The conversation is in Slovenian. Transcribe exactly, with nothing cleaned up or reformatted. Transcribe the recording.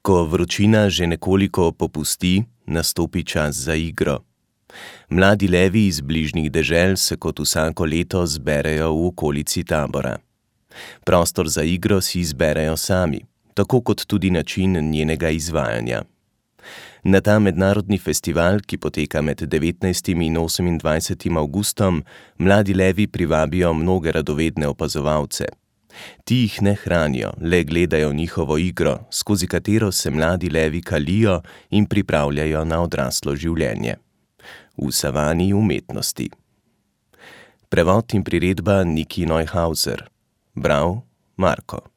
Ko vročina že nekoliko popusti, nastopi čas za igro. Mladi levi iz bližnjih dežel se kot vsako leto zberejo v okolici tabora. Prostor za igro si izberejo sami, tako kot tudi način njenega izvajanja. Na ta mednarodni festival, ki poteka med devetnajstim in osemindvajsetim avgustom, mladi levi privabijo mnoge radovedne opazovalce. Ti jih ne hranijo, le gledajo njihovo igro, skozi katero se mladi levi kalijo in pripravljajo na odraslo življenje. V savani umetnosti. Prevod in priredba Niki Neuhauser. Bral Marko.